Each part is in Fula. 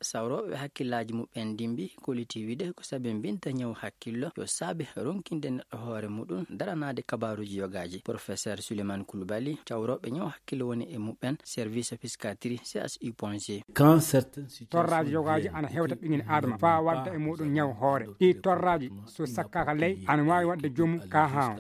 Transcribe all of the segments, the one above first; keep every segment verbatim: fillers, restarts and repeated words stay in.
Sawrooɓe hakkillaaji muɓɓen ndimbi kolliti wiide ko sabi mbinta ñaw hakkillo yo saabe ronkinde neɗɗo hoore muɗum daranaade kabaaruuji yogaaji. Professeur Suleiman Koulibaly, cawrooɓe ñaw hakkillo woni e muɓɓen, service psychiatrie C H U point G. Torraaji yogaaji ana hewta ɓiŋel aadama faa wadda e muɗum ñaw hoore. Ɗi torraaji so sakkaaka ley ana waawi wadde jomu ka haa.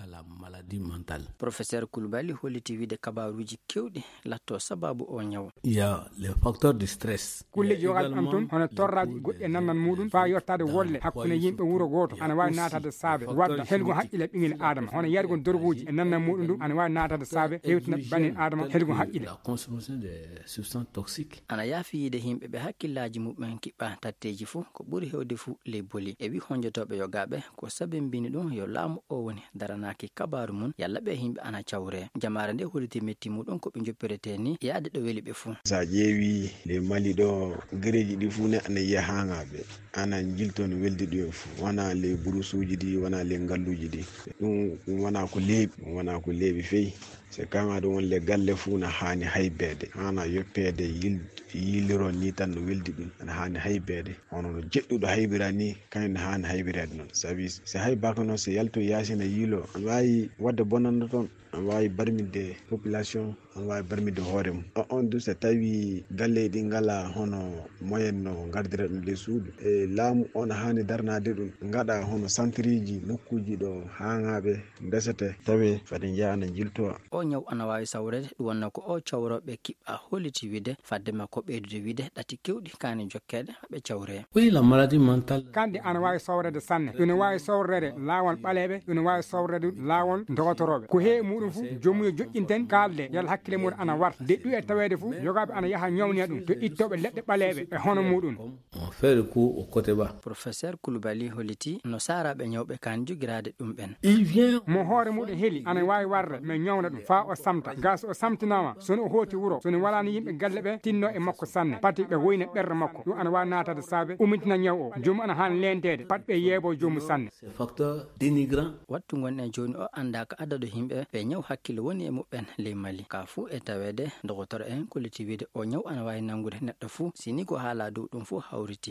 Professeur Koulibaly holliti wiide kabaaruuji kewɗi latto sababu o ñaw. Il y a les facteurs de stress. Kulleji yogaaji am tun hono torraaji goɗɗi e nannan muɗum faa yottaade wolle hakkunde yimɓe wuro gooto ana waawi naataade saabe wadda helgo haqqile ɓiŋel aadama hono yargo dorguuji e nannan muɗum ɗum ana waawi naataade saabe hewtina banin aadama helgo haqqile. La consommation de substances toxiques. Ana yaafi yiide yimɓe ɓe hakkillaaji muɓɓen kiɓɓa tatteeji fuu ko ɓuri hewde fuu ley boli e wi honjotooɓe yogaaɓe ko sabimbini ɗum yo laamu o woni daranaaki kabaaru mum yalla ɓe yimɓe ana cawre. Jamaare nde holliti metti muɗum ko ɓe njoppiretee ni yaade ɗo weli ɓe fuu. So a ƴeewi ley Mali ɗo, gereeji ɗi fuu ne ana yiya haaŋaaɓe ana njiltoo no weldi ɗum en fuu, wona ley burusuuji ɗi, wona ley ngalluuji ɗi. Ɗum ɗum wona ko leeɓi, ɗum wona ko leeɓi fey. So kaŋŋe ɗum won le galle fuu na haani haybeede, haana yoppeede yil-, yiiliroo nii tan no weldi ɗum, ana haani haybeede. Hono no jeɗɗuɗo haybira nii, kañum ne haani haybireede noon. Sabi si haybaaka noon, so yaltoyi yaasi na yiiloo, ana waawi waɗde bonannde toon, ana waawi barminde population, ana waawi barminde hoore mum. O-, on du so tawii galleeji ɗi ngalaa hono moyen no ngardira ɗum ley suudu, e laamu o na haani darnaade ɗum, ngaɗa hono santriiji, nokkuuji ɗo haaŋaaɓe ndesete, tawee fade njeyaa ana njiltoo. O ñaw ana waawi sawreede, ɗum wonnoo ko o cawrooɓe kiɓɓa holliti wiide, fadde makko ɓeydude wiide ɗati kewɗi kaani jokkeede haa ɓe cawree. Oui, la maladie mentale. Kandi ana waawi sawreede sanne. Ina waawi sawreede laawol ɓaleeɓe, ina waawi sawreede laawol dogotorooɓe. Ko heewi muɗum fuu, joomum yo joƴƴinten kaalde, yalla hakkille mum ana warta. Deɗɗu e taweede fuu, yogaaɓe ana yaha ñawniya ɗum to ittooɓe leɗɗe ɓaleeɓe e hono muɗum. On fait recours au côté bas. Professeur Koulibaly holliti no saaraaɓe ñawɓe kaan jogiraade ɗum ɓen. Il vient. Mo hoore muɗum heli ana waawi warde, mais ñawna ɗum faa o samta. Gaa so o samtinaama, so no o hooti wuro, so no walaani yimɓe galle ɓe tinnoo e makko sanne. Pati ɓe woyna ɓerɗe makko. Ɗum ana waawi naataade saabe umitina ñaw o. Joomum ana haani leenteede. Pat ɓe yeeboo joomum sanne. C'est facteur dénigrant. Wattu ngon en jooni o anndaa ko adadu yimɓe ɓe ñaw hakkille woni e muɓɓen ley Mali. Ka fuu e taweede, dogotoro en kolliti wiide o ñaw ana waawi nanngude neɗɗo fuu, si ni ko haalaa dow ɗum fuu hawriti.